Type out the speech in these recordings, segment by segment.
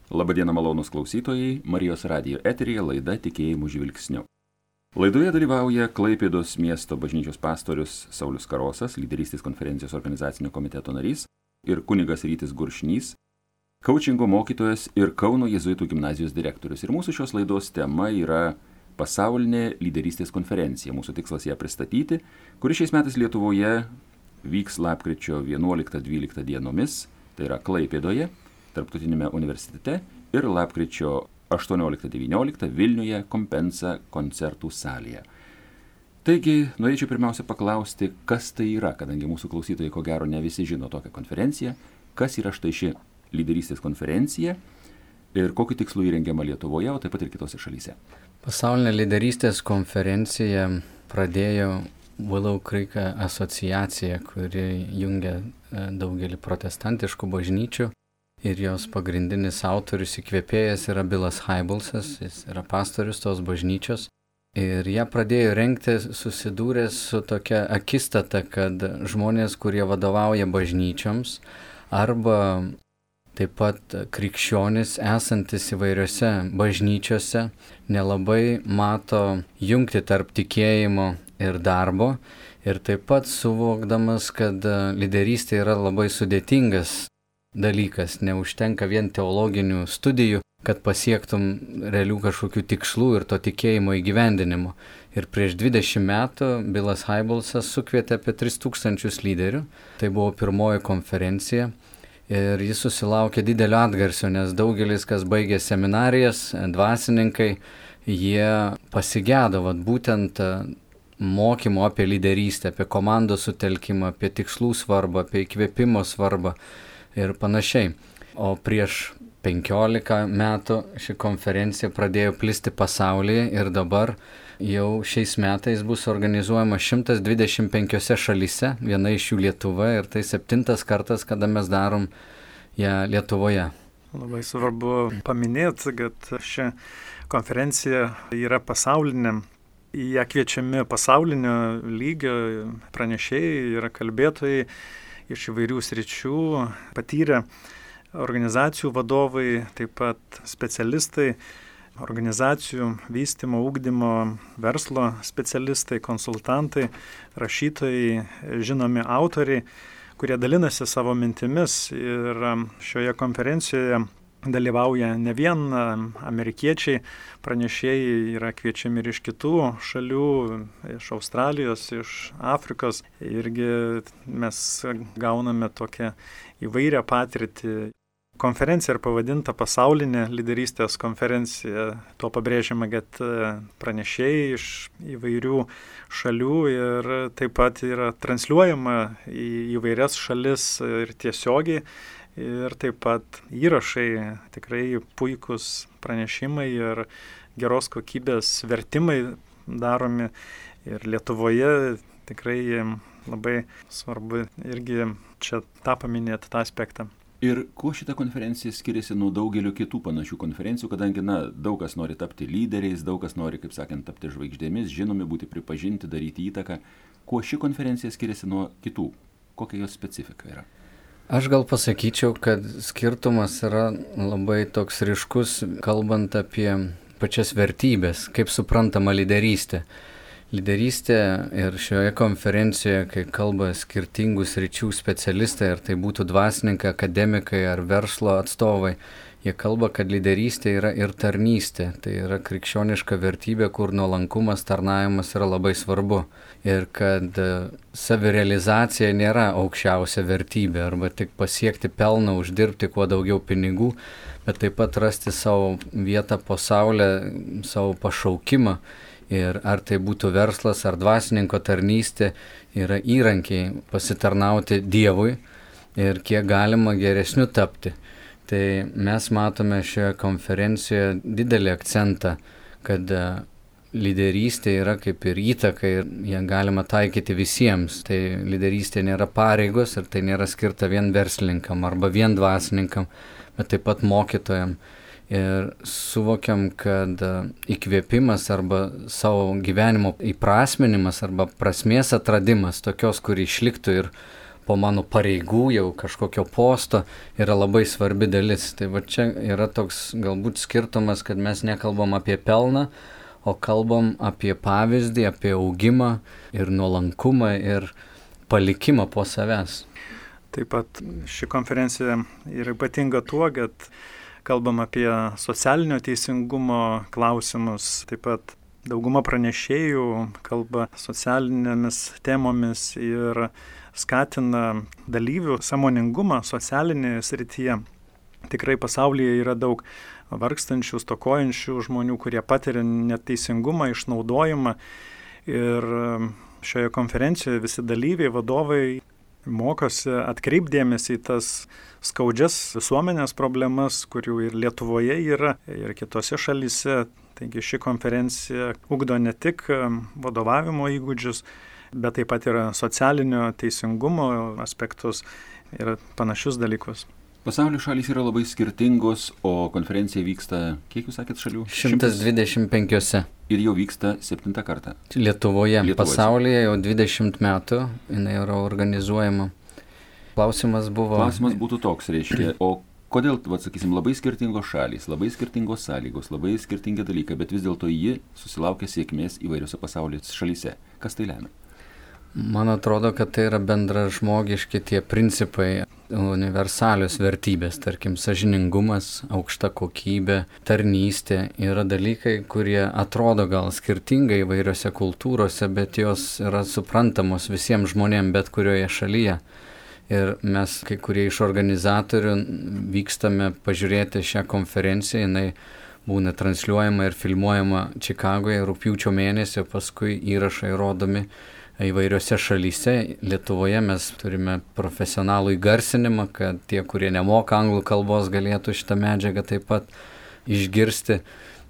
Labadiena malonūs klausytojai, Marijos radijo eteryje laida Tikėjimų žvilgsniu. Laidoje dalyvauja Klaipėdos miesto bažnyčios pastorius Saulius Karosas, lyderystės konferencijos organizacinio komiteto narys, ir kunigas Rytis Guršnys, kaučingo mokytojas ir Kauno jėzuitų gimnazijos direktorius. Ir mūsų šios laidos tema yra pasaulinė lyderystės konferencija. Mūsų tikslas ją pristatyti, kuri šiais metais Lietuvoje vyks lapkričio 11-12 dienomis, tai yra Klaipėdoje, Tarptautinėme universitete, ir lapkričio 18-19 Vilniuje Kompensa koncertų salėje. Taigi, norėčiau pirmiausia paklausti, kas tai yra, kadangi mūsų klausytojai ko gero ne visi žino tokią konferenciją, kas yra štai ši lyderystės konferencija ir kokiu tikslu įrengiama Lietuvoje, o taip pat ir kitose šalyse. Pasaulinė lyderystės konferencija pradėjo Willow Creek asociacija, kuri jungia daugelį protestantiškų bažnyčių. Ir jos pagrindinis autorius įkvėpėjas yra Billas Hybelsas, jis yra pastorius tos bažnyčios. Ir ją pradėjo rengti susidūręs su tokia akistata, kad žmonės, kurie vadovauja bažnyčioms, arba taip pat krikščionys esantis įvairiose bažnyčiose, nelabai mato jungti tarp tikėjimo ir darbo. Ir taip pat suvokdamas, kad lyderystė yra labai sudėtingas dalykas, neužtenka vien teologinių studijų, kad pasiektum realių kažkokių tikslų ir to tikėjimo įgyvendinimo. Ir prieš 20 metų Billas Hybelsas sukvietė apie 3000 lyderių. Tai buvo pirmoji konferencija ir jis susilaukė didelio atgarsio, nes daugelis, kas baigė seminarijas, dvasininkai, jie pasigėdo būtent mokymo apie lyderystę, apie komandos sutelkimą, apie tikslų svarbą, apie įkvėpimo svarbą ir panašiai. O prieš 15 metų ši konferencija pradėjo plisti pasaulyje ir dabar jau šiais metais bus organizuojama 125 šalyse, viena iš jų Lietuva, ir tai 7. kartas, kada mes darom ją Lietuvoje. Labai svarbu paminėti, kad ši konferencija yra pasaulinė. Į ją kviečiami pasaulinio lygio pranešėjai, yra kalbėtojai iš įvairių sričių, patyrę organizacijų vadovai, taip pat specialistai, organizacijų vystymo, ugdymo, verslo specialistai, konsultantai, rašytojai, žinomi autoriai, kurie dalinasi savo mintimis. Ir šioje konferencijoje dalyvauja ne vien amerikiečiai, pranešėjai yra kviečiami ir iš kitų šalių, iš Australijos, iš Afrikos. Irgi mes gauname tokią įvairią patirtį. Konferencija yra pavadinta pasaulinė lyderystės konferencija. Tuo pabrėžiama, kad pranešėjai iš įvairių šalių ir taip pat yra transliuojama į įvairias šalis ir tiesiogiai. Ir taip pat įrašai, tikrai puikus pranešimai ir geros kokybės vertimai daromi. Ir Lietuvoje tikrai labai svarbu irgi čia tą paminėti, tą aspektą. Ir kuo šita konferencija skiriasi nuo daugelio kitų panašių konferencijų, kadangi daug kas nori tapti lyderiais, daug kas nori, kaip sakant, tapti žvaigždėmis, žinomi, būti pripažinti, daryti įtaką. Kuo ši konferencija skiriasi nuo kitų? Kokia jos specifika yra? Aš gal pasakyčiau, kad skirtumas yra labai toks ryškus, kalbant apie pačias vertybės, kaip suprantama lyderystė. Lyderystė ir šioje konferencijoje, kai kalba skirtingų sričių specialistai, ar tai būtų dvasininkai, akademikai ar verslo atstovai, jie kalba, kad lyderystė yra ir tarnystė. Tai yra krikščioniška vertybė, kur nuolankumas, tarnavimas yra labai svarbu. Ir kad savirealizacija nėra aukščiausia vertybė, arba tik pasiekti pelną, uždirbti kuo daugiau pinigų, bet taip pat rasti savo vietą po saulę, savo pašaukimą. Ir ar tai būtų verslas ar dvasininko tarnystė, yra įrankiai pasitarnauti Dievui ir kiek galima geresniu tapti. Tai mes matome šioje konferencijoje didelį akcentą, kad lyderystė yra kaip ir įtaka ir ją galima taikyti visiems. Tai lyderystė nėra pareigos ir tai nėra skirta vien verslininkam arba vien dvasininkam, bet taip pat mokytojam. Ir suvokiam, kad įkvėpimas arba savo gyvenimo įprasminimas arba prasmės atradimas tokios, kuri išliktų ir po mano pareigų, jau kažkokio posto yra labai svarbi dalis. Tai va čia yra toks galbūt skirtumas, kad mes nekalbam apie pelną, o kalbam apie pavyzdį, apie augimą ir nuolankumą ir palikimą po savęs. Taip pat ši konferencija yra ypatinga tuo, kad kalbam apie socialinio teisingumo klausimus, taip pat dauguma pranešėjų kalba socialinėmis temomis ir skatina dalyvių sąmoningumą socialinėje srityje. Tikrai pasaulyje yra daug vargstančių, stokojančių žmonių, kurie patiria neteisingumą, išnaudojimą. Ir šioje konferencijoje visi dalyviai, vadovai mokosi atkreipdėmėsi į tas skaudžias visuomenės problemas, kurių ir Lietuvoje yra, ir kitose šalyse. Taigi ši konferencija ugdo ne tik vadovavimo įgūdžius, bet taip pat yra socialinio teisingumo aspektus ir panašius dalykus. Pasaulio šalys yra labai skirtingos, o konferencija vyksta, kiek jūs sakėt šalių? 125. Ir jau vyksta 7. kartą. Lietuvoje. Pasaulyje jau 20 metų jinai yra organizuojama. Klausimas būtų toks, reiškia, o kodėl, sakysim, labai skirtingos šalys, labai skirtingos sąlygos, labai skirtingi dalykai, bet vis dėlto ji susilaukia sėkmės įvairiose pasaulio šalyse. Kas tai lemia? Man atrodo, kad tai yra bendražmogiški tie principai, universalios vertybės, tarkim, sąžiningumas, aukšta kokybė, tarnystė. Yra dalykai, kurie atrodo gal skirtingai įvairiose kultūrose, bet jos yra suprantamos visiems žmonėms bet kurioje šalyje. Ir mes, kai kurie iš organizatorių, vykstame pažiūrėti šią konferenciją, jinai būna transliuojama ir filmuojama Čikagoje rugpjūčio mėnesį, paskui įrašai rodomi įvairiose šalyse. Lietuvoje mes turime profesionalų įgarsinimą, kad tie, kurie nemoka anglų kalbos, galėtų šitą medžiagą taip pat išgirsti.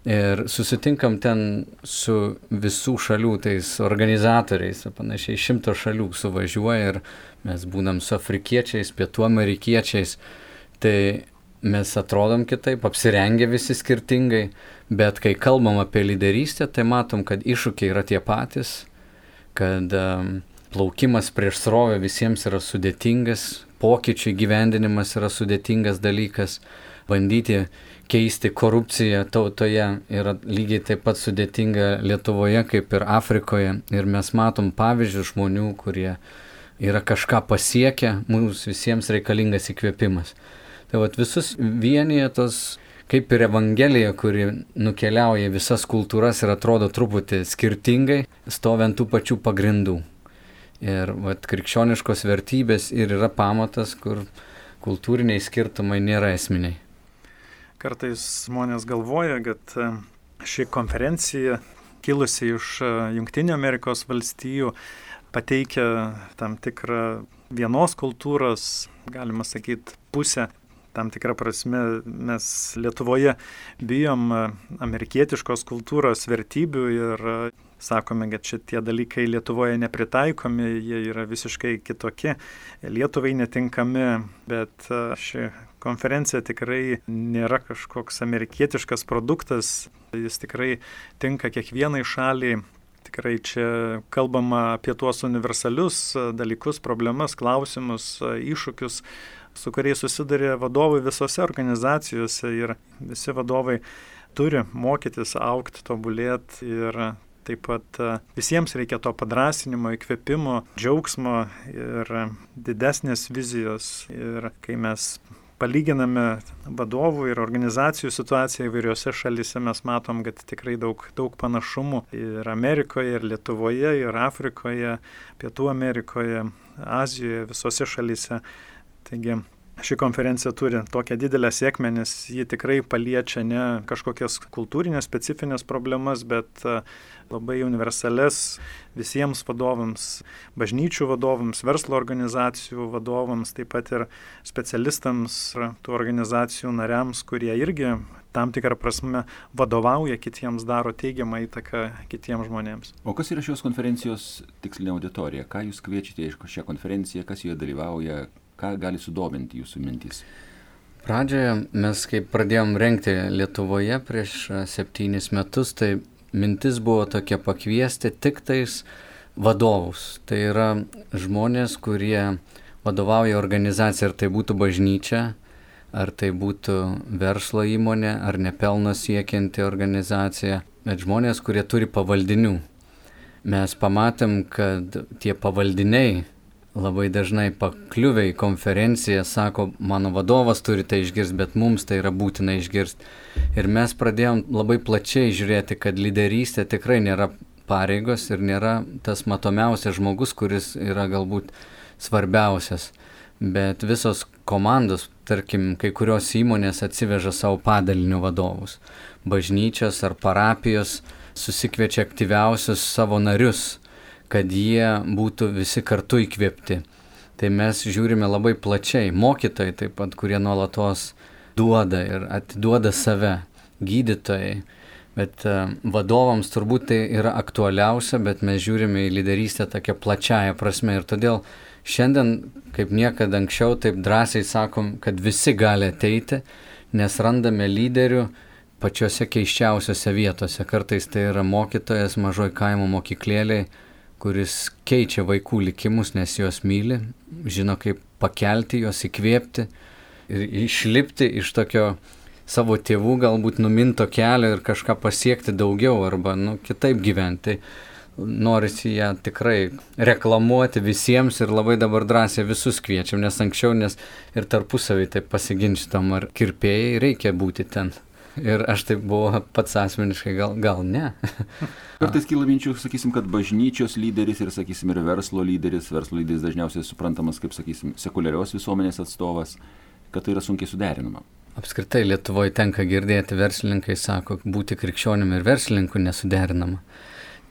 Ir susitinkam ten su visų šalių tais organizatoriais, panašiai 100 šalių suvažiuoja ir mes būnam su afrikiečiais, pietų amerikiečiais. Tai mes atrodom kitaip, apsirengę visi skirtingai, bet kai kalbam apie lyderystę, tai matom, kad iššūkiai yra tie patys, kad plaukimas prieš srovę visiems yra sudėtingas, pokyčių įgyvendinimas yra sudėtingas dalykas, bandyti keisti korupciją tautoje yra lygiai taip pat sudėtinga Lietuvoje kaip ir Afrikoje. Ir mes matom pavyzdžių žmonių, kurie yra kažką pasiekę, mums visiems reikalingas įkvėpimas. Tai vat visus vienyje tos, kaip ir Evangelija, kuri nukeliauja visas kultūras ir atrodo truputį skirtingai, stovi ant tų pačių pagrindų. Ir vat krikščioniškos vertybės ir yra pamatas, kur kultūriniai skirtumai nėra esminiai. Kartais žmonės galvoja, kad ši konferencija, kilusi iš Jungtinių Amerikos valstijų, pateikia tam tikrą vienos kultūros, galima sakyti, pusę. Tam tikrą prasme mes Lietuvoje bijom amerikietiškos kultūros vertybių ir sakome, kad šitie dalykai Lietuvoje nepritaikomi, jie yra visiškai kitokie, Lietuvai netinkami, bet ši konferencija tikrai nėra kažkoks amerikietiškas produktas, jis tikrai tinka kiekvienai šaliai. Tikrai čia kalbama apie tuos universalius dalykus, problemas, klausimus, iššūkius, su kuriais susiduria vadovai visose organizacijose ir visi vadovai turi mokytis, augti, tobulėti ir taip pat visiems reikia to padrąsinimo, įkvėpimo, džiaugsmo ir didesnės vizijos. Ir kai mes palyginame vadovų ir organizacijų situaciją įvairiose šalyse, mes matom, kad tikrai daug panašumų ir Amerikoje, ir Lietuvoje, ir Afrikoje, Pietų Amerikoje, Azijoje, visose šalyse. Taigi ši konferencija turi tokią didelę sėkmę, nes ji tikrai paliečia ne kažkokias kultūrinės specifinės problemas, bet labai universales visiems vadovams, bažnyčių vadovams, verslo organizacijų vadovams, taip pat ir specialistams, tų organizacijų nariams, kurie irgi tam tikrą prasme vadovauja kitiems, daro teigiamą įtaką kitiems žmonėms. O kas yra šios konferencijos tikslinė auditorija? Ką jūs kviečiate iš šią konferenciją, kas joje dalyvauja? Ką gali sudominti jūsų mintys? Pradžioje mes, kai pradėjom rengti Lietuvoje prieš 7 metus, tai mintis buvo tokia pakviesti tik tais vadovus. Tai yra žmonės, kurie vadovauja organizacija, ar tai būtų bažnyčia, ar tai būtų verslo įmonė, ar nepelno siekianti organizacija, bet žmonės, kurie turi pavaldinių. Mes pamatėm, kad tie pavaldiniai labai dažnai pakliuvę į konferenciją sako, mano vadovas turi tai išgirsti, bet mums tai yra būtina išgirsti. Ir mes pradėjom labai plačiai žiūrėti, kad lyderystė tikrai nėra pareigos ir nėra tas matomiausias žmogus, kuris yra galbūt svarbiausias. Bet visos komandos, tarkim, kai kurios įmonės atsiveža savo padalinių vadovus. Bažnyčios ar parapijos susikviečia aktyviausius savo narius, kad jie būtų visi kartu įkvėpti. Tai mes žiūrime labai plačiai. Mokytojai taip pat, kurie nuolatos duoda ir atiduoda save, gydytojai. Bet vadovams turbūt tai yra aktualiausia, bet mes žiūrime į lyderystę tokia plačiaja prasme. Ir todėl šiandien, kaip niekada anksčiau, taip drąsiai sakom, kad visi gali ateiti, nes randame lyderių pačiose keiščiausiose vietose. Kartais tai yra mokytojas mažoj kaimo mokyklėlėj, kuris keičia vaikų likimus, nes juos myli, žino kaip pakelti juos, įkvėpti ir išlipti iš tokio savo tėvų galbūt numinto kelio ir kažką pasiekti daugiau arba kitaip gyventi. Norisi ją tikrai reklamuoti visiems ir labai dabar drąsiai visus kviečiam, nes anksčiau ir tarpusavį taip pasiginčytam, ar kirpėjai reikia būti ten. Ir aš taip buvau pats asmeniškai, gal ne. Kartais kyla minčių, sakysim, kad bažnyčios lyderis ir, sakysim, ir verslo lyderis dažniausiai suprantamas kaip, sakysim, sekuliarios visuomenės atstovas, kad tai yra sunkiai suderinama. Apskritai Lietuvoje tenka girdėti, verslininkai sako, būti krikščionimi ir verslininku nesuderinama.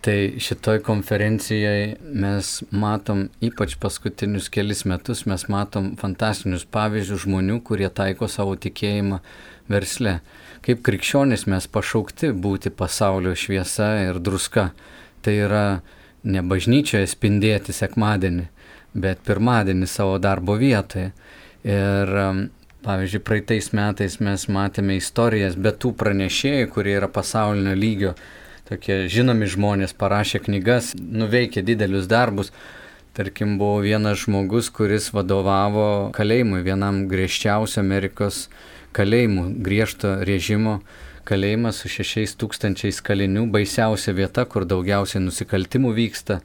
Tai šitoj konferencijoje mes matom, ypač paskutinius kelis metus, mes matom fantastinius pavyzdžius žmonių, kurie taiko savo tikėjimą versle. Kaip krikščionys mes pašaukti būti pasaulio šviesa ir druska. Tai yra ne bažnyčioje spindėti sekmadienį, bet pirmadienį savo darbo vietoje. Ir pavyzdžiui, praeitais metais mes matėme istorijas, bet tų pranešėjų, kurie yra pasaulinio lygio, tokie žinomi žmonės, parašė knygas, nuveikė didelius darbus. Tarkim, buvo vienas žmogus, kuris vadovavo kalėjimui, vienam griežčiausių Amerikos kalėjimų, griežto režimo kalėjimas su 6,000 kalinių, baisiausia vieta, kur daugiausiai nusikaltimų vyksta.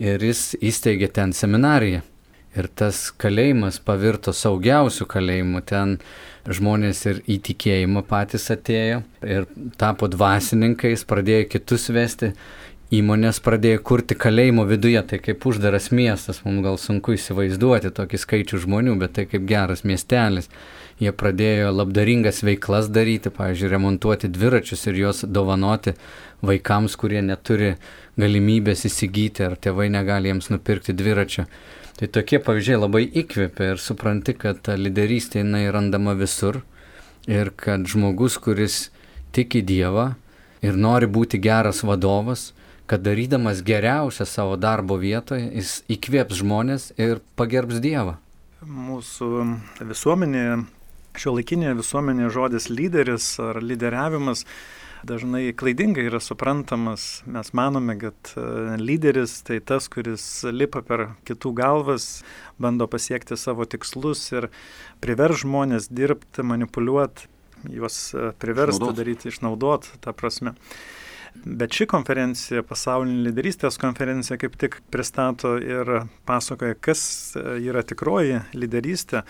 Ir jis įsteigė ten seminariją. Ir tas kalėjimas pavirto saugiausių kalėjimų. Ten žmonės ir į tikėjimą patys atėjo ir tapo dvasininkais, pradėjo kitus vesti. Įmonės pradėjo kurti kalėjimo viduje, tai kaip uždaras miestas, mums gal sunku įsivaizduoti tokį skaičių žmonių, bet tai kaip geras miestelis. Jie pradėjo labdaringas veiklas daryti, pavyzdžiui, remontuoti dviračius ir juos dovanoti vaikams, kurie neturi galimybės įsigyti ar tėvai negali jiems nupirkti dviračio. Tai tokie pavyzdžiai labai įkvėpia ir supranti, kad ta lyderystė jinai randama visur ir kad žmogus, kuris tiki Dievą ir nori būti geras vadovas, kad darydamas geriausią savo darbo vietoje, jis įkvėps žmonės ir pagerbs Dievą. Mūsų visuomenėje, šiuolaikinėje visuomenėje žodis lyderis ar lyderiavimas dažnai klaidingai yra suprantamas. Mes manome, kad lyderis tai tas, kuris lipa per kitų galvas, bando pasiekti savo tikslus ir privers žmonės dirbti, manipuliuoti, juos priverstų daryti, išnaudoti tą prasme. Bet ši konferencija, pasaulinė lyderystės konferencija, kaip tik pristato ir pasakoja, kas yra tikroji lyderystė,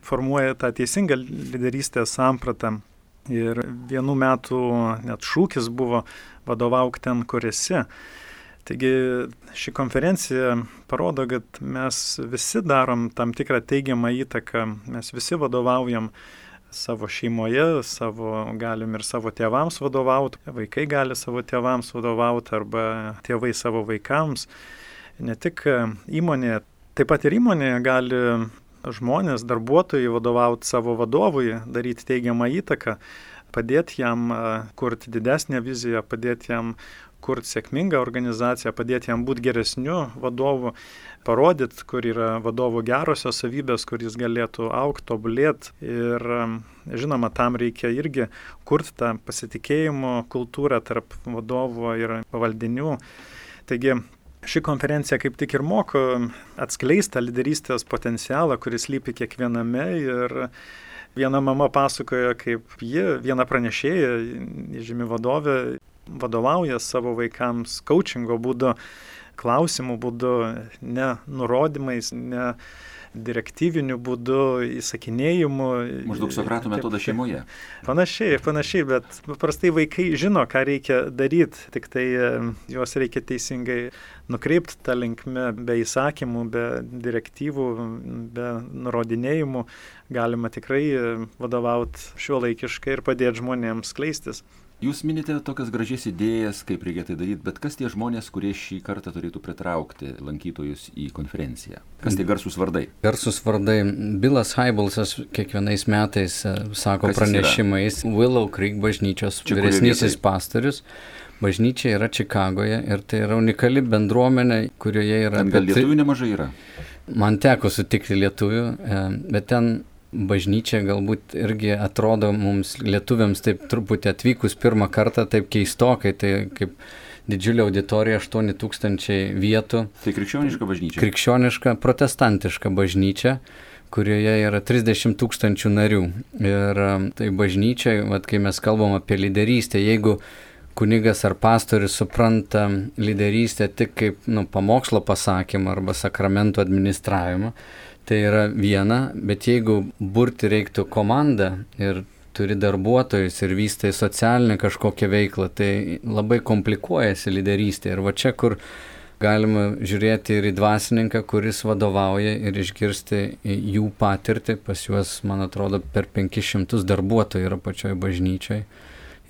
formuoja tą teisingą lyderystės sampratą. Ir vienų metų net šūkis buvo vadovauk ten, kur esi. Taigi ši konferencija parodo, kad mes visi darom tam tikrą teigiamą įtaką, mes visi vadovaujam savo šeimoje, galim ir savo tėvams vadovauti, vaikai gali savo tėvams vadovauti arba tėvai savo vaikams. Ne tik įmonėje, taip pat ir įmonėje gali žmonės, darbuotojai vadovauti savo vadovui, daryti teigiamą įtaką, padėti jam kurti didesnę viziją, padėti jam kurti sėkmingą organizaciją, padėti jam būti geresniu vadovu, parodyti, kur yra vadovo gerosios savybės, kur jis galėtų augti, tobulėti. Ir žinoma, tam reikia irgi kurti tą pasitikėjimo kultūrą tarp vadovo ir pavaldinių. Taigi, ši konferencija kaip tik ir moko atskleisti lyderystės potencialą, kuris slypi kiekviename. Ir viena mama pasakojo, kaip viena pranešėja, žymi vadovė, vadovauja savo vaikams coachingo būdu, klausimų būdu, ne nurodymais, ne direktyviniu būdu, įsakinėjimu. Maždaug Sokrato metodą šeimoje. Panašiai, bet paprastai vaikai žino, ką reikia daryti, tik tai juos reikia teisingai nukreipti tą linkmę, be įsakymų, be direktyvų, be nurodinėjimų. Galima tikrai vadovauti šiuolaikiškai ir padėti žmonėms skleistis. Jūs minite tokias gražias idėjas, kaip reikia tai daryti, bet kas tie žmonės, kurie šį kartą turėtų pritraukti lankytojus į konferenciją? Kas tie garsūs vardai? Garsūs vardai. Bilas Hybelsas kiekvienais metais sako pranešimais. Willow Creek bažnyčios vyresnysis pastorius. Bažnyčia yra Čikagoje ir tai yra unikali bendruomenė, kurioje yra... Ten gal lietuvių nemažai yra? Man teko sutikti lietuvių, bet ten bažnyčia galbūt irgi atrodo mums lietuviams taip truputį atvykus pirmą kartą taip keistokai, tai kaip didžiulė auditorija, 8,000 vietų. Tai krikščioniška bažnyčia? Krikščioniška, protestantiška bažnyčia, kurioje yra 30,000 narių. Ir tai bažnyčia, kai mes kalbam apie lyderystę, jeigu kunigas ar pastorius supranta lyderystę tik kaip pamokslo pasakymą arba sakramentų administravimą, tai yra viena, bet jeigu burti reiktų komandą ir turi darbuotojus ir vystai socialinę kažkokią veiklą, tai labai komplikuojasi lyderystė. Ir va čia, kur galima žiūrėti ir į dvasininką, kuris vadovauja ir išgirsti jų patirtį, pas juos, man atrodo, per 500 darbuotojų yra pačioj bažnyčioj.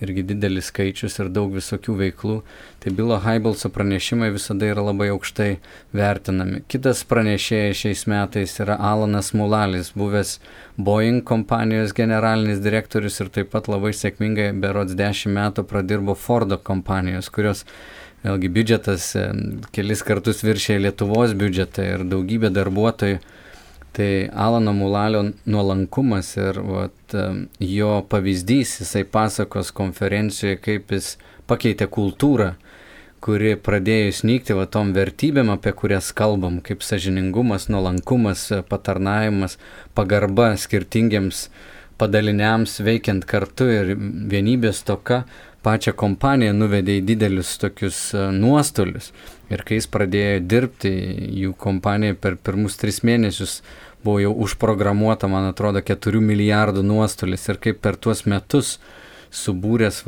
Irgi didelis skaičius ir daug visokių veiklų. Tai Bilo Hybelso pranešimai visada yra labai aukštai vertinami. Kitas pranešėjas šiais metais yra Alanas Mulalis, buvęs Boeing kompanijos generalinis direktorius ir taip pat labai sėkmingai berods 10 metų pradirbo Fordo kompanijos, kurios vėlgi biudžetas kelis kartus viršė Lietuvos biudžetą ir daugybė darbuotojų. Tai Alano Mulalio nuolankumas ir jo pavyzdys, jisai pasakos konferencijoje, kaip jis pakeitė kultūrą, kuri pradėjo snykti tom vertybėm, apie kurias kalbam, kaip sąžiningumas, nuolankumas, patarnavimas, pagarba skirtingiems padaliniams veikiant kartu ir vienybės toka pačią kompaniją nuvedė į didelius tokius nuostolius. Ir kai jis pradėjo dirbti, jų kompanija per pirmus 3 mėnesius buvo jau užprogramuota, man atrodo, 4 milijardų nuostolis. Ir kaip per tuos metus subūręs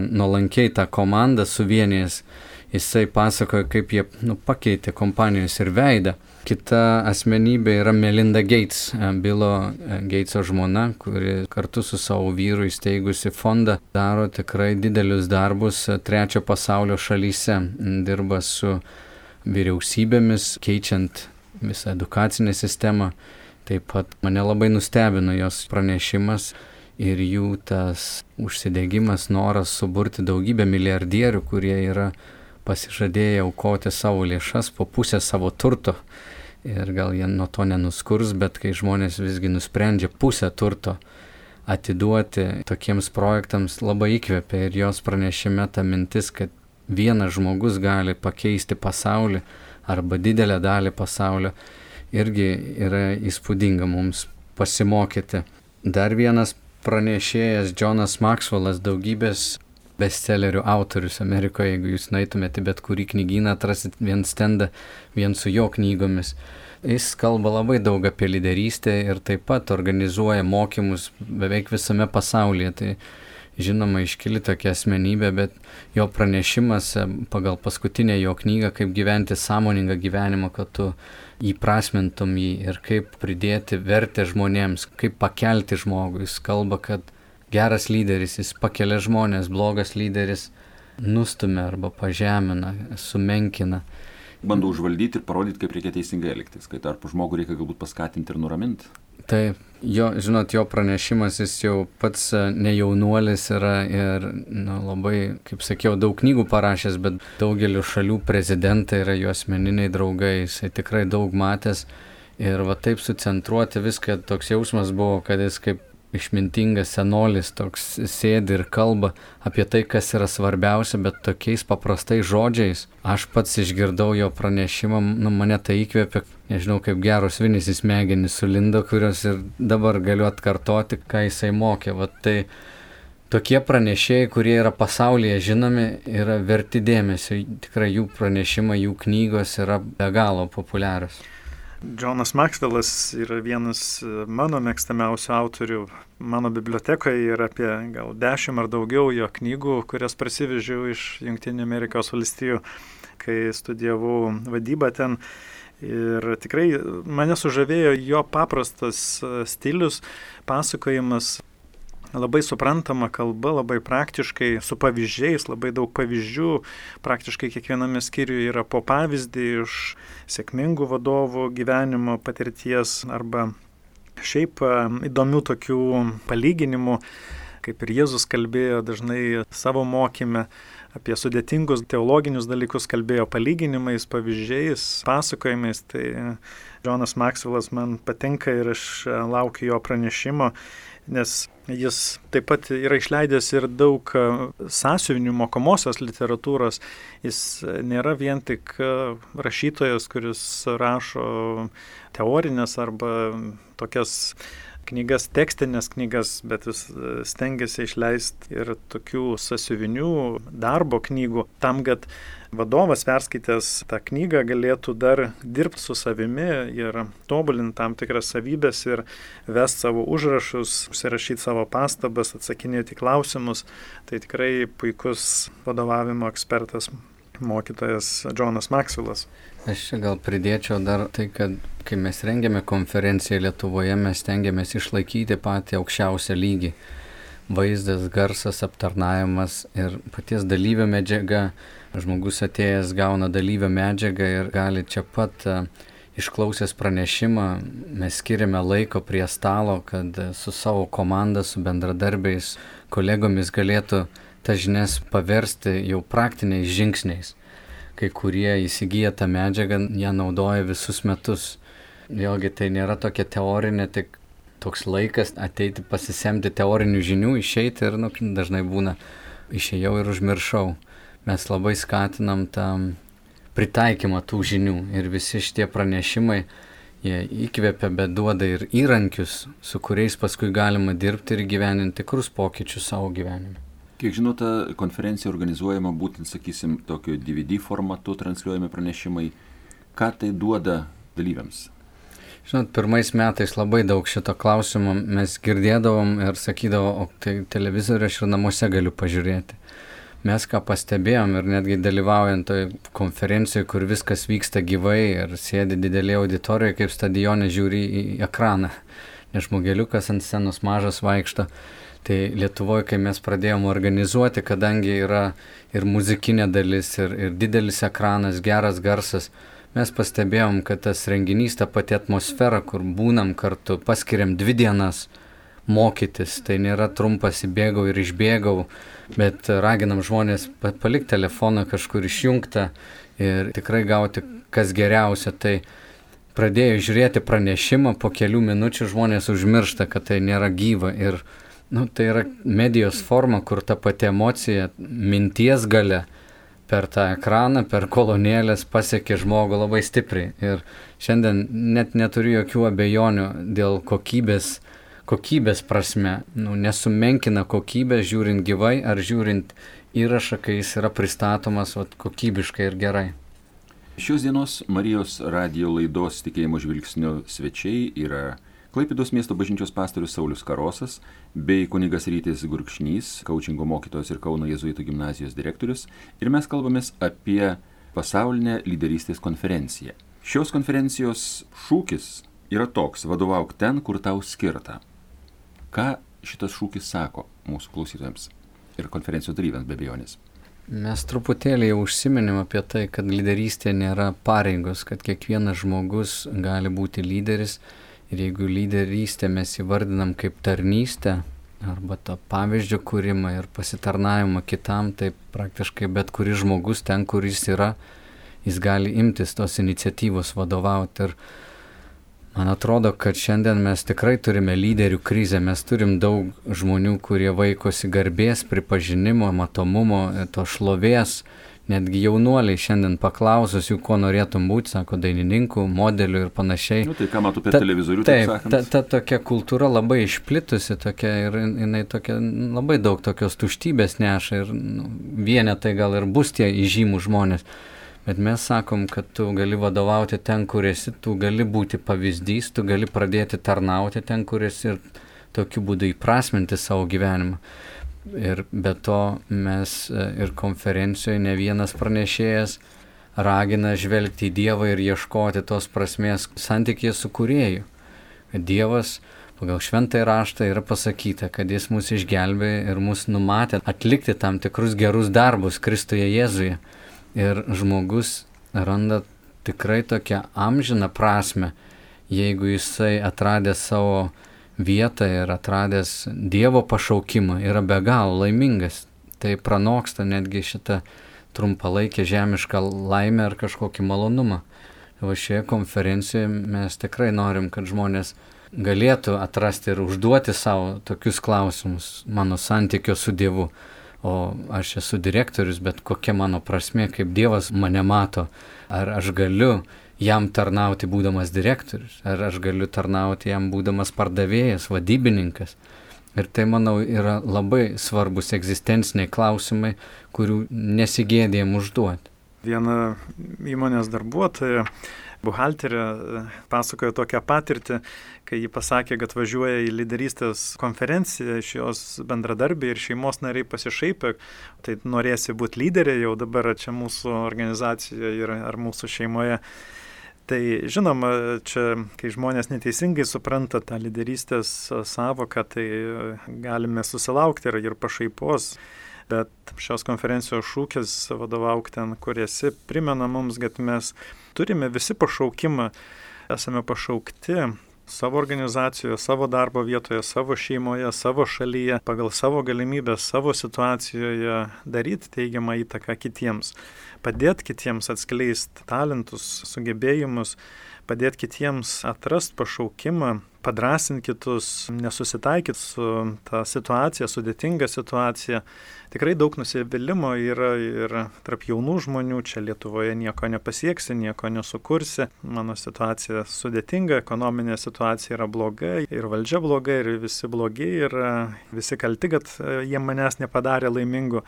nuolankiai tą komandą, suvienijęs, jisai pasakojo, kaip jie pakeitė kompanijos ir veidą. Kita asmenybė yra Melinda Gates, Bilo Gateso žmona, kuri kartu su savo vyru įsteigusi fondą daro tikrai didelius darbus 3 pasaulio šalyse. Dirba su vyriausybėmis, keičiant visą edukacinę sistemą. Taip pat mane labai nustebino jos pranešimas ir jų tas užsidegimas, noras suburti daugybę milijardierių, kurie yra pasižadėję aukoti savo lėšas po pusę savo turto. Ir gal jie nuo to nenuskurs, bet kai žmonės visgi nusprendžia pusę turto atiduoti tokiems projektams, labai įkvepia. Ir jos pranešime ta mintis, kad vienas žmogus gali pakeisti pasaulį arba didelę dalį pasaulio, irgi yra įspūdinga mums pasimokyti. Dar vienas pranešėjas, Jonas Maxwellas, daugybės bestsellerių autorius Amerikoje. Jeigu jūs nueitumėte bet kurį knygyną, atrasit vien stendą, vien su jo knygomis. Jis kalba labai daug apie lyderystę ir taip pat organizuoja mokymus beveik visame pasaulyje. Tai žinoma iškili tokia asmenybė, bet jo pranešimas pagal paskutinę jo knygą, kaip gyventi sąmoningą gyvenimą, kad tu įprasmintum jį ir kaip pridėti vertę žmonėms, kaip pakelti žmogų. Jis kalba, kad geras lyderis, jis pakelia žmonės, blogas lyderis nustumia arba pažemina, sumenkina. Bando užvaldyti ir parodyti, kaip reikia teisingai elgtis, kai tarpu žmogų reikia galbūt paskatinti ir nuraminti. Taip, jo pranešimas, jis jau pats ne jaunuolis yra ir labai, kaip sakiau, daug knygų parašęs, bet daugeliu šalių prezidentai yra jo asmeniniai draugai, jisai tikrai daug matęs ir va taip sucentruoti viską, toks jausmas buvo, kad jis kaip išmintingas senolis toks sėdi ir kalba apie tai, kas yra svarbiausia, bet tokiais paprastais žodžiais. Aš pats išgirdau jo pranešimą, mane tai įkvėpė, nežinau, kaip geros vinys į smegenis sulindo, kurios ir dabar galiu atkartoti, ką jisai mokė. Vat tai tokie pranešėjai, kurie yra pasaulyje žinomi, yra verti dėmesio. Tikrai jų pranešimai, jų knygos yra be galo populiarios. Džonas Maxwellas yra vienas mano mėgstamiausių autorių. Mano bibliotekoje yra apie gal 10 ar daugiau jo knygų, kurias parsivežiau iš Jungtinių Amerikos valstijų, kai studijavau vadybą ten. Ir tikrai mane sužavėjo jo paprastas stilius, pasakojimas, labai suprantama kalba, labai praktiškai, su pavyzdžiais, labai daug pavyzdžių. Praktiškai kiekviename skyriuje yra po pavyzdį iš sėkmingų vadovų gyvenimo patirties arba šiaip įdomių tokių palyginimų, kaip ir Jėzus kalbėjo dažnai savo mokyme apie sudėtingus teologinius dalykus, kalbėjo palyginimais, pavyzdžiais, pasakojimais. Tai Džonas Maxwellas man patinka ir aš laukiu jo pranešimo, nes jis taip pat yra išleidęs ir daug sąsiuvinių mokomosios literatūros. Jis nėra vien tik rašytojas, kuris rašo teorinės arba tokias knygas, tekstinės knygas, bet jis stengiasi išleisti ir tokių sąsiuvinių darbo knygų, tam, kad vadovas perskaitęs tą knygą galėtų dar dirbti su savimi ir tobulinti tam tikras savybės ir vesti savo užrašus, užsirašyti savo pastabas, atsakinėti klausimus. Tai tikrai puikus vadovavimo ekspertas, mokytojas Džonas Maxwellas. Aš čia gal pridėčiau dar tai, kad kai mes rengiame konferenciją Lietuvoje, mes stengiamės išlaikyti patį aukščiausią lygį. Vaizdas, garsas, aptarnavimas ir paties dalyvio medžiaga. Žmogus atėjęs gauna dalyvio medžiagą ir gali čia pat išklausęs pranešimą, mes skiriame laiko prie stalo, kad su savo komanda, su bendradarbiais, kolegomis galėtų tas žinias paversti jau praktiniais žingsniais. Kai kurie įsigyja tą medžiagą, ją naudoja visus metus. Vėlgi tai nėra tokia teorinė, tik toks laikas ateiti pasisemti teorinių žinių, išeiti ir dažnai būna išėjau ir užmiršau. Mes labai skatinam tą pritaikymą tų žinių ir visi šitie pranešimai, jie įkvepia, bet duoda ir įrankius, su kuriais paskui galima dirbti ir gyveninti tikrus pokyčius savo gyvenime. Kiek žinote, konferencija organizuojama būtent, sakysim, tokio DVD formatu transliuojami pranešimai. Ką tai duoda dalyviams? Žinot, pirmais metais labai daug šito klausimo mes girdėdavom ir sakydavom, o tai televizorių aš ir namuose galiu pažiūrėti. Mes ką pastebėjom ir netgi dalyvaujant toj konferencijoje, kur viskas vyksta gyvai ir sėdi didelė auditorija, kaip stadione žiūri į ekraną, nes žmogeliukas ant scenos mažas vaikšto. Tai Lietuvoje, kai mes pradėjom organizuoti, kadangi yra ir muzikinė dalis, ir didelis ekranas, geras garsas, mes pastebėjom, kad tas renginys, ta pati atmosfera, kur būnam kartu, paskiriam 2 dienas mokytis, tai nėra trumpas įbėgau ir išbėgau, bet raginam žmonės palikti telefoną kažkur išjungtą ir tikrai gauti kas geriausia. Tai pradėjo žiūrėti pranešimą, po kelių minučių žmonės užmiršta, kad tai nėra gyva ir tai yra medijos forma, kur ta pati emocija, minties galia per tą ekraną, per kolonėlės pasiekė žmogų labai stipriai. Ir šiandien net neturiu jokių abejonių dėl kokybės prasme. Nesumenkina kokybės žiūrint gyvai ar žiūrint įrašą, kai jis yra pristatomas kokybiškai ir gerai. Šios dienos Marijos radijo laidos Tikėjimo žvilgsnio svečiai yra Klaipėdos miesto bažnyčios pastorius Saulius Karosas bei kunigas Rytis Gurkšnys, kaučingo mokytojas ir Kauno jėzuitų gimnazijos direktorius. Ir mes kalbamės apie pasaulinę lyderystės konferenciją. Šios konferencijos šūkis yra toks: vadovauk ten, kur tau skirta. Ką šitas šūkis sako mūsų klausytojams ir konferencijos dalyviams be abejonės? Mes truputėlį jau užsiminėm apie tai, kad lyderystė nėra pareigos, kad kiekvienas žmogus gali būti lyderis. Ir jeigu lyderystę mes įvardinam kaip tarnystę arba tą pavyzdžio kūrimą ir pasitarnavimą kitam, tai praktiškai bet kuris žmogus ten, kur jis yra, jis gali imtis tos iniciatyvos vadovauti. Ir Man atrodo, kad šiandien mes tikrai turime lyderių krizę, mes turim daug žmonių, kurie vaikosi garbės, pripažinimo, matomumo, to šlovės. Netgi jaunuoliai šiandien paklausus jų, ko norėtum būti, sako, dainininkų, modelių ir panašiai. Tai ką matau per televizorių, taip sakant. Ta tokia kultūra labai išplitusi tokia, ir jinai tokia, labai daug tokios tuštybės neša ir vienetai gal ir bus tie įžymų žmonės. Bet mes sakom, kad tu gali vadovauti ten, kur esi, tu gali būti pavyzdys, tu gali pradėti tarnauti ten, kur esi ir tokiu būdu įprasminti savo gyvenimą. Ir be to mes ir konferencijoje ne vienas pranešėjas ragina žvelgti į Dievą ir ieškoti tos prasmės santykyje su Kūrėju. Kad Dievas pagal šventąjį raštą yra pasakyta, kad jis mus išgelbėjo ir mus numatė atlikti tam tikrus gerus darbus Kristuje Jėzuje. Ir žmogus randa tikrai tokią amžiną prasmę, jeigu jisai atradęs savo vietą ir atradęs Dievo pašaukimą yra be galo laimingas. Tai pranoksta netgi šitą trumpalaikę žemišką laimę ar kažkokį malonumą. O šioje konferencijoje mes tikrai norim, kad žmonės galėtų atrasti ir užduoti savo tokius klausimus mano santykio su Dievu. O aš esu direktorius, bet kokia mano prasmė, kaip Dievas mane mato. Ar aš galiu jam tarnauti būdamas direktorius, ar aš galiu tarnauti jam būdamas pardavėjas, vadybininkas. Ir tai, manau, yra labai svarbus egzistenciniai klausimai, kurių nesigėdėjom užduoti. Viena įmonės darbuotoja, buhalterė, pasakojo tokią patirtį, kai ji pasakė, kad važiuoja į lyderystės konferenciją, iš jos bendradarbiai ir šeimos nariai pasišaipė, tai norėsi būti lyderė jau dabar čia mūsų organizacijoje ar mūsų šeimoje. Tai žinoma, čia, kai žmonės neteisingai supranta tą lyderystės savoką, tai galime susilaukti ir pašaipos. Bet šios konferencijos šūkis vadovauk ten, kur esi, primena mums, kad mes turime visi pašaukimą, esame pašaukti savo organizacijoje, savo darbo vietoje, savo šeimoje, savo šalyje, pagal savo galimybės, savo situacijoje daryti teigiamą įtaką kitiems, padėti kitiems atskleisti talentus, sugebėjimus, padėti kitiems atrasti pašaukimą, padrasinti kitus, nesusitaikyti su ta situacija, sudėtinga situacija. Tikrai daug nusivylimo yra ir tarp jaunų žmonių, čia Lietuvoje nieko nepasieksi, nieko nesukursi. Mano situacija sudėtinga, ekonominė situacija yra bloga ir valdžia bloga ir visi blogi ir visi kalti, kad jie manęs nepadarė laimingu.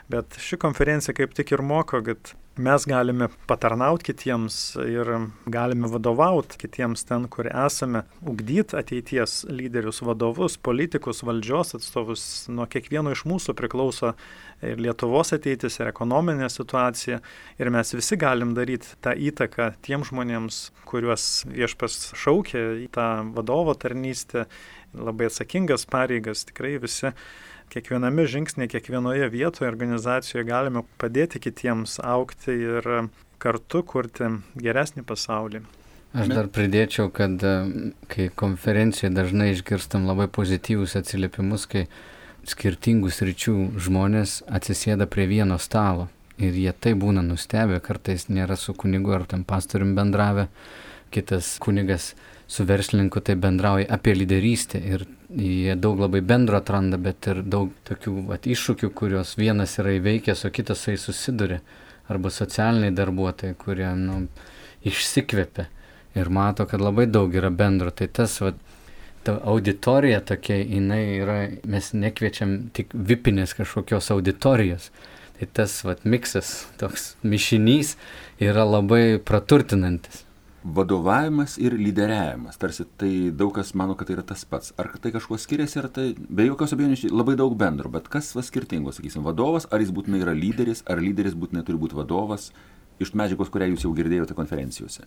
Bet ši konferencija kaip tik ir moko, kad mes galime patarnauti kitiems ir galime vadovauti kitiems ten, kur esame, ugdyti ateities lyderius, vadovus, politikus, valdžios atstovus. Nuo kiekvieno iš mūsų priklauso ir Lietuvos ateitis, ir ekonominė situacija. Ir mes visi galim daryti tą įtaką tiem žmonėms, kuriuos Viešpats šaukia į tą vadovo tarnystę, labai atsakingas pareigas, tikrai visi. Kiekviename žingsnėje, kiekvienoje vietoje, organizacijoje galime padėti kitiems augti ir kartu kurti geresnį pasaulį. Aš dar pridėčiau, kad kai konferencijoje dažnai išgirstam labai pozityvus atsiliepimus, kai skirtingų sričių žmonės atsisėda prie vieno stalo ir jie tai būna nustebę, kartais nėra su kunigu ar tam pastorium bendravę, kitas kunigas su verslininku tai bendrauja apie lyderystę ir jie daug labai bendro atranda, bet ir daug tokių iššūkių, kurios vienas yra įveikęs, o kitas tai susiduria. Arba socialiniai darbuotojai, kurie išsikvepia ir mato, kad labai daug yra bendro. Tai tas, ta auditorija tokia, jinai yra, mes nekviečiam tik vipinės kažkokios auditorijos. Tai tas miksas, toks mišinys yra labai praturtinantis. Vadovavimas ir lyderiavimas, tarsi tai daug kas mano, kad tai yra tas pats. Ar tai kažkuo skiriasi, ar tai be jokios abejonės labai daug bendro, bet kas skirtingo, sakysim, vadovas, ar jis būtinai yra lyderis, ar lyderis būtinai turi būti vadovas, iš medžiagos, kurią jūs jau girdėjote konferencijose?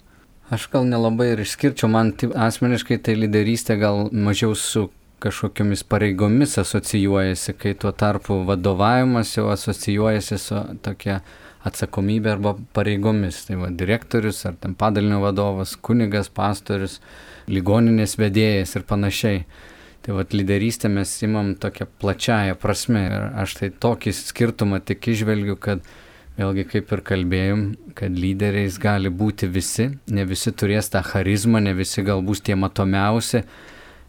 Aš gal nelabai ir išskirčiau, man asmeniškai tai lyderystė gal mažiau su kažkokiamis pareigomis asocijuojasi, kai tuo tarpu vadovavimas jau asocijuojasi su tokia atsakomybė arba pareigomis. Tai direktorius ar ten padalinio vadovas, kunigas, pastorius, ligoninės vedėjas ir panašiai. Tai lyderystę mes imam tokią plačiąją prasme. Ir aš tai tokį skirtumą tik išvelgiu, kad Vėlgi, kaip ir kalbėjom, kad lyderiais gali būti visi, ne visi turės tą charizmą, ne visi galbūt tie matomiausi,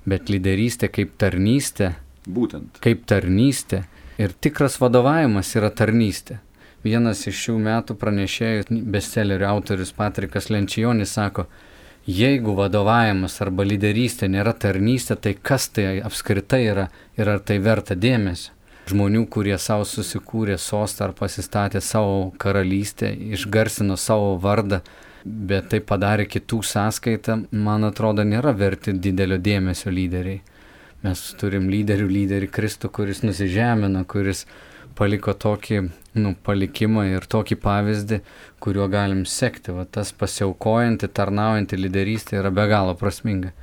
bet lyderystė kaip tarnystė. Būtent. Kaip tarnystė. Ir tikras vadovavimas yra tarnystė. Vienas iš šių metų pranešėjų, bestsellerio autorius Patrikas Lencijonis sako, jeigu vadovavimas arba lyderystė nėra tarnystė, tai kas tai apskritai yra ir ar tai verta dėmesio? Žmonių, kurie savo susikūrė sostą ar pasistatė savo karalystę, išgarsino savo vardą, bet tai padarė kitų sąskaitą, man atrodo, nėra verti didelio dėmesio lyderiai. Mes turim lyderį Kristų, kuris nusižemino, kuris paliko tokį palikimą ir tokį pavyzdį, kuriuo galim sekti. Va, tas pasiaukojanti, tarnaujanti lyderystė yra be galo prasminga.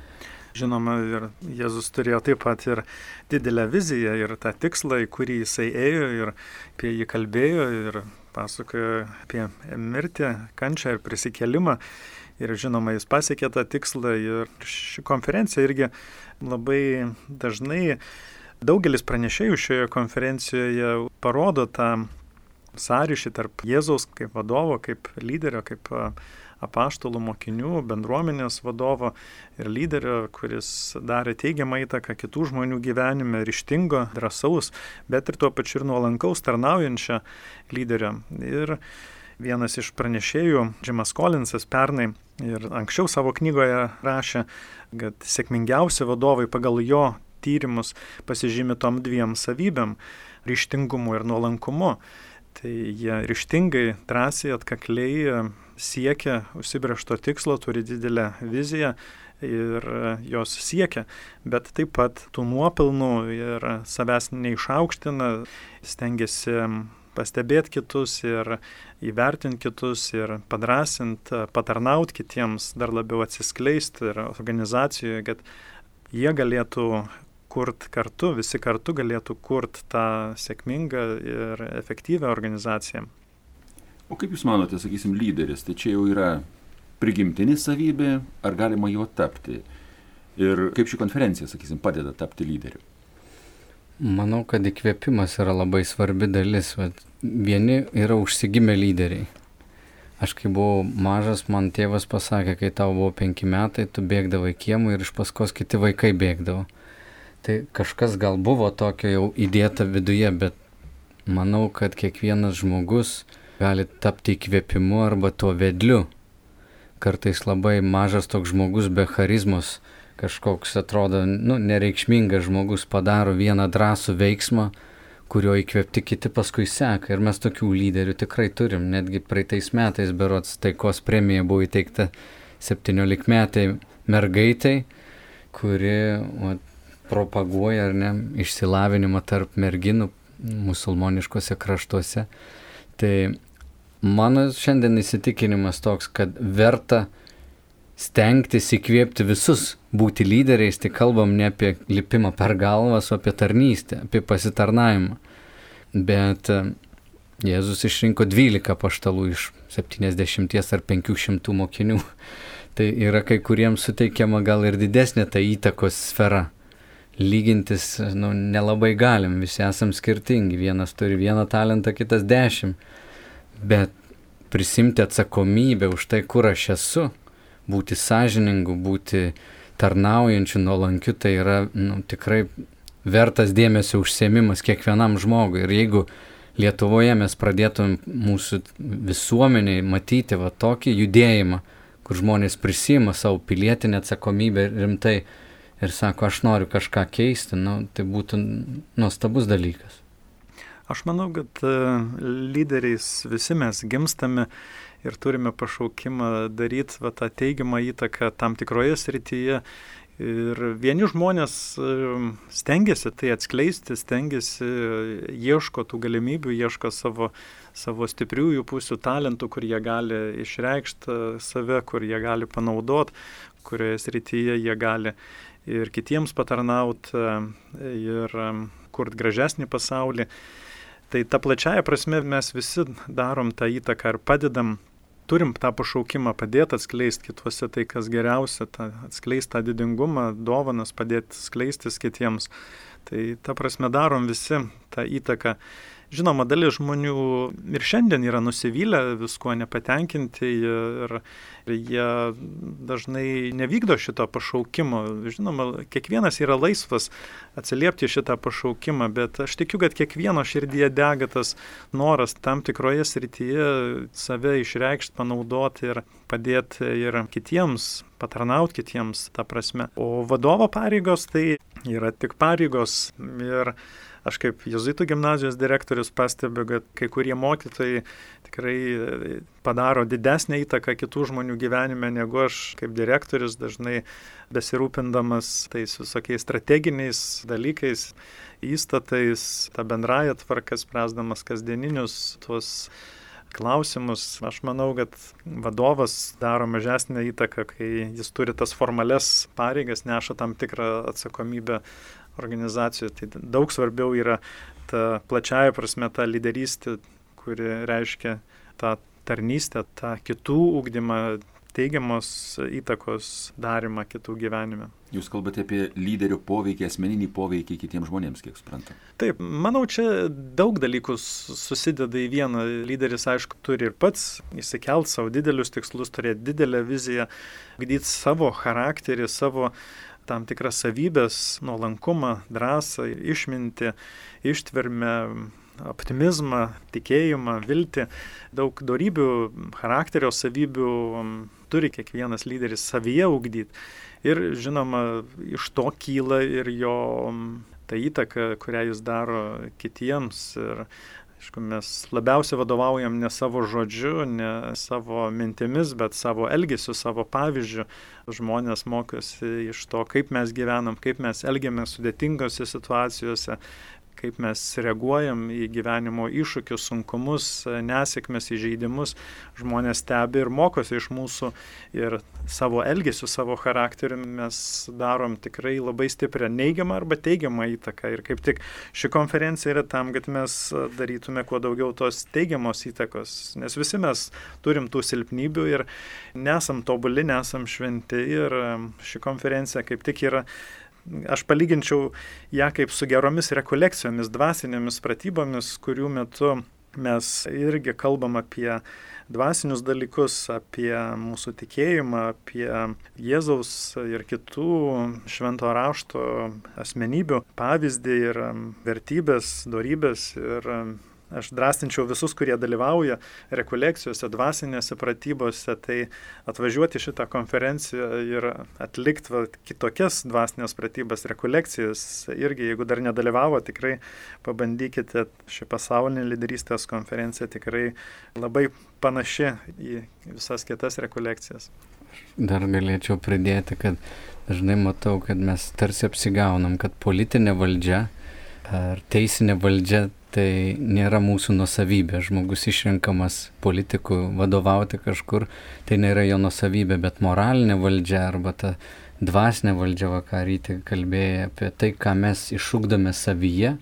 Žinoma, ir Jėzus turėjo taip pat ir didelę viziją ir tą tikslą, į kurį jisai ėjo ir apie jį kalbėjo ir pasakojo apie mirtį, kančią ir prisikėlimą. Ir žinoma, jis pasiekė tą tikslą ir ši konferencija irgi labai dažnai, daugelis pranešėjų šioje konferencijoje parodo tą sąryšį tarp Jėzaus kaip vadovo, kaip lyderio, kaip apaštalų mokinių, bendruomenės vadovo ir lyderio, kuris darė teigiamą įtaką kitų žmonių gyvenime, ryžtingo, drąsaus, bet ir tuo pačiu ir nuolankaus tarnaujančio lyderio. Ir vienas iš pranešėjų, Jimas Collinsas, pernai ir anksčiau savo knygoje rašė, kad sėkmingiausi vadovai pagal jo tyrimus pasižymi tom dviem savybėm - ryžtingumu ir nuolankumu. Tai jie ryžtingai, drąsiai, atkakliai siekia užsibrėžto tikslo, turi didelę viziją ir jos siekia, bet taip pat tų nuopelnų ir savęs neišaukština, stengiasi pastebėti kitus ir įvertinti kitus ir padrąsinti, patarnauti kitiems, dar labiau atsiskleisti ir organizacijoje, kad jie galėtų kurt kartu, visi kartu galėtų kurt tą sėkmingą ir efektyvią organizaciją. O kaip Jūs manote, sakysim, lyderis, tai čia jau yra prigimtinė savybė, ar galima juo tapti? Ir kaip ši konferencija, sakysim, padeda tapti lyderiu? Manau, kad įkvėpimas yra labai svarbi dalis. Vieni yra užsigimę lyderiai. Aš kai buvau mažas, man tėvas pasakė, kai tau buvo 5 metai, tu bėgdavai kiemų ir iš paskos kiti vaikai bėgdavo. Tai kažkas gal buvo tokio jau įdėta viduje, bet manau, kad kiekvienas žmogus gali tapti įkvėpimu arba tuo vedliu. Kartais labai mažas toks žmogus be charizmos, kažkoks atrodo, nereikšmingas žmogus padaro vieną drąsų veiksmą, kurio įkvėpti kiti paskui seka. Ir mes tokių lyderių tikrai turim. Netgi praeitais metais berods taikos premija buvo įteikta 17-metai mergaitai, kuri propaguoja išsilavinimą tarp merginų musulmoniškose kraštuose. Tai mano šiandien įsitikinimas toks, kad verta stengtis įkvėpti visus būti lyderiais, tai kalbam ne apie lipimą per galvas, o apie tarnystę, apie pasitarnavimą. Bet Jėzus išrinko 12 apaštalų iš 70 ar 500 mokinių. Tai yra kai kuriems suteikiama gal ir didesnė ta įtakos sfera. Lygintis nelabai galim, visi esam skirtingi, vienas turi 1 talentą, kitas 10, bet prisimti atsakomybę už tai, kur aš esu, būti sąžiningu, būti tarnaujančiu, nuolankiu, tai yra tikrai vertas dėmesio užsiėmimas kiekvienam žmogui. Ir jeigu Lietuvoje mes pradėtum mūsų visuomeniai matyti tokį judėjimą, kur žmonės prisima savo pilietinę atsakomybę rimtai, ir sako, aš noriu kažką keisti, tai būtų nuostabus dalykas. Aš manau, kad lyderiais visi mes gimstame ir turime pašaukimą daryti tą teigiamą įtaką tam tikroje srityje. Ir vieni žmonės stengiasi tai atskleisti, stengiasi, ieško tų galimybių, ieško savo stipriųjų pusių, talentų, kur jie gali išreikšti save, kur jie gali panaudoti, kurioje srityje jie gali ir kitiems patarnauti ir kurti gražesnį pasaulį. Tai ta plačiaja prasme mes visi darom tą įtaką ir padedam, turim tą pašaukimą padėti atskleisti kituose tai, kas geriausia, atskleisti tą didingumą, dovanas, padėti skleistis kitiems. Tai ta prasme darom visi tą įtaką. Žinoma, dalis žmonių ir šiandien yra nusivylę, viskuo nepatenkinti ir jie dažnai nevykdo šito pašaukimo. Žinoma, kiekvienas yra laisvas atsiliepti šitą pašaukimą, bet aš tikiu, kad kiekvieno širdyje dega tas noras tam tikroje srityje save išreikšti, panaudoti ir padėti ir kitiems, patarnauti kitiems tą prasme. O vadovo pareigos tai yra tik pareigos ir aš kaip jėzuitų gimnazijos direktorius pastebiu, kad kai kurie mokytojai tikrai padaro didesnę įtaką kitų žmonių gyvenime negu aš kaip direktorius, dažnai besirūpindamas tais visokiais strateginiais dalykais, įstatais, tą bendrąją tvarką spręsdamas kasdieninius tuos klausimus. Aš manau, kad vadovas daro mažesnę įtaką, kai jis turi tas formales pareigas, neša tam tikrą atsakomybę organizacijų. Tai daug svarbiau yra ta plačiaja prasme ta lyderystė, kuri reiškia tą tarnystę, tą kitų ugdymą, teigiamos įtakos darimą kitų gyvenime. Jūs kalbate apie lyderio poveikį, asmeninį poveikį kitiems žmonėms, kiek suprantu. Taip, manau, čia daug dalykų susideda į vieną. Lyderis, aišku, turi ir pats įsikelt savo didelius tikslus, turėti didelę viziją, ugdyti savo charakterį, savo tam tikras savybės, nuolankumą, drąsą, išmintį, ištvermę, optimizmą, tikėjimą, viltį. Daug dorybių, charakterio savybių turi kiekvienas lyderis savyje ugdyti. Ir žinoma, iš to kyla ir jo ta įtaka, kurią jis daro kitiems. Ir aišku, mes labiausiai vadovaujam ne savo žodžiu, ne savo mintimis, bet savo elgesiu, savo pavyzdžiu. Žmonės mokosi iš to, kaip mes gyvenam, kaip mes elgiamės sudėtingose situacijose, kaip mes reaguojam į gyvenimo iššūkius, sunkumus, nesėkmes, įžeidimus. Žmonės stebi ir mokosi iš mūsų ir savo elgesiu, savo charakteriu mes darom tikrai labai stiprią neigiamą arba teigiamą įtaką. Ir kaip tik ši konferencija yra tam, kad mes darytume kuo daugiau tos teigiamos įtakos. Nes visi mes turim tų silpnybių ir nesam tobuli, nesam šventi. Ir ši konferencija kaip tik yra, aš palyginčiau ją kaip su geromis rekolekcijomis, dvasinėmis pratybomis, kurių metu mes irgi kalbam apie dvasinius dalykus, apie mūsų tikėjimą, apie Jėzaus ir kitų švento rašto asmenybių pavyzdį ir vertybės, dorybės. Ir aš drąstinčiau visus, kurie dalyvauja rekolekcijose, dvasinėse pratybose, tai atvažiuoti šitą konferenciją ir atlikti kitokias dvasinės pratybas, rekolekcijas. Irgi, jeigu dar nedalyvavo, tikrai pabandykite. Ši pasaulinė lyderystės konferencija tikrai labai panaši į visas kitas rekolekcijas. Dar galėčiau pridėti, kad dažnai matau, kad mes tarsi apsigaunam, kad politinė valdžia ar teisinė valdžia tai nėra mūsų nuosavybė. Žmogus išrenkamas politikų vadovauti kažkur, tai nėra jo nuosavybė, bet moralinė valdžia arba ta dvasinė valdžia, ką Rytį kalbėjo apie tai, ką mes išugdome savyje,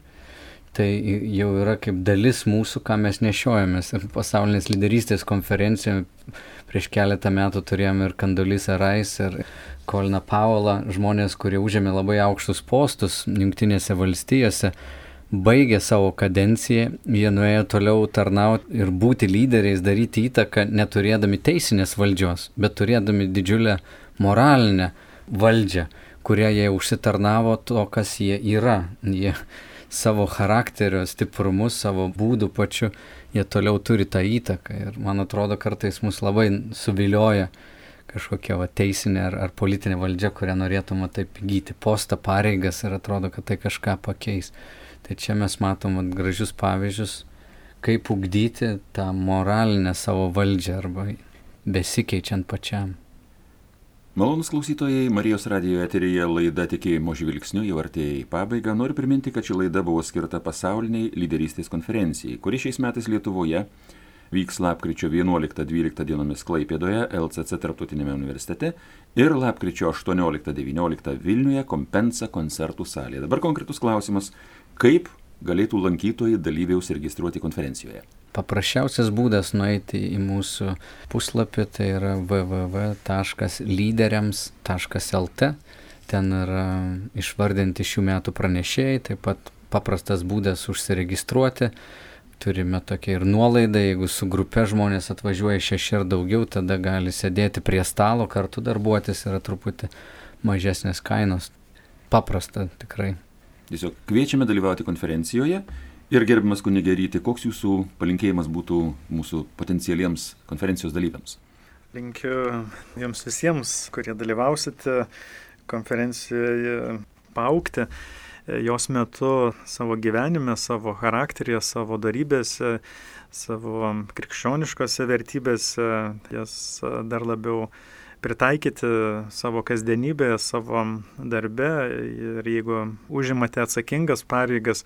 tai jau yra kaip dalis mūsų, ką mes nešiojamės. Ir pasaulinės lyderystės konferencijoje prieš keletą metų turėjome ir Condoleezza Rice, ir Colin Powellą, žmonės, kurie užėmė labai aukštus postus Jungtinėse valstijose, baigė savo kadenciją, jie nuėjo toliau tarnauti ir būti lyderiais, daryti įtaką, neturėdami teisinės valdžios, bet turėdami didžiulę moralinę valdžią, kurią jie užsitarnavo to, kas jie yra. Jie savo charakterio stiprumus, savo būdų pačiu, jie toliau turi tą įtaką. Ir man atrodo, kartais mus labai suvilioja kažkokia teisinė ar politinė valdžia, kurią norėtume taip įgyti postą, pareigas ir atrodo, kad tai kažką pakeis. Tai čia mes matom gražius pavyzdžius, kaip ugdyti tą moralinę savo valdžią arba besikeičiant pačiam. Malonūs klausytojai, Marijos radijo eteryje laida Tikėjimo žvilgsniu jau artėja į pabaigą. Noriu priminti, kad ši laida buvo skirta pasauliniai lyderystės konferencijai, kuri šiais metais Lietuvoje vyks lapkričio 11-12 dienomis Klaipėdoje, LCC tarptautinėme universitete ir lapkričio 18-19 Vilniuje Kompensa koncertų salėje. Dabar konkretus klausimas, kaip galėtų lankytojai dalyviai užsiregistruoti konferencijoje? Paprasčiausias būdas nueiti į mūsų puslapį, tai yra www.lyderiams.lt. Ten yra išvardinti šių metų pranešėjai, taip pat paprastas būdas užsiregistruoti. Turime tokią ir nuolaidą, jeigu su grupe žmonės atvažiuoja 6 ar daugiau, tada gali sėdėti prie stalo, kartu darbuotis, yra truputį mažesnės kainos. Paprasta tikrai. Tiesiog kviečiame dalyvauti konferencijoje ir gerbiamas kunige Ryti, koks jūsų palinkėjimas būtų mūsų potencialiems konferencijos dalyviams? Linkiu jums visiems, kurie dalyvausite konferencijoje, paaugti jos metu savo gyvenime, savo charakteryje, savo darybėse, savo krikščioniškose vertybėse, jas dar labiau pritaikyti savo kasdienybėje, savo darbe. Ir jeigu užimate atsakingas pareigas,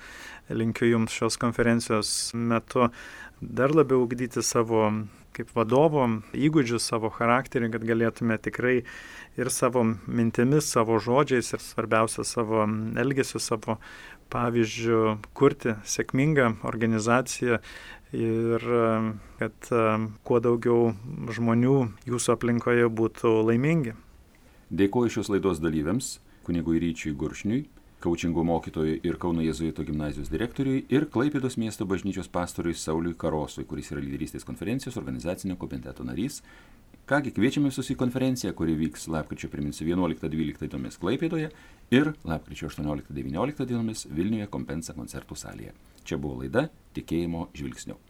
linkiu jums šios konferencijos metu dar labiau ugdyti savo kaip vadovo įgūdžius, savo charakterį, kad galėtume tikrai ir savo mintimis, savo žodžiais ir svarbiausia savo elgesiu, savo pavyzdžiu kurti sėkmingą organizaciją ir kad kuo daugiau žmonių jūsų aplinkoje būtų laimingi. Dėkuoju šios laidos dalyviams, kunigui Ryčiui Guršniui, kaučingo mokytojui ir Kauno Jėzuitų gimnazijos direktoriui ir Klaipėdos miesto bažnyčios pastoriui Sauliui Karosui, kuris yra lyderystės konferencijos organizacinio komiteto narys. Kągi, kviečiame visus į konferenciją, kuri vyks lapkričio, priminsiu, 11-12 dienomis Klaipėdoje ir lapkričio 18-19 dienomis Vilniuje Kompensa koncertų salėje. Čia buvo laida Tikėjimo žvilgsniu.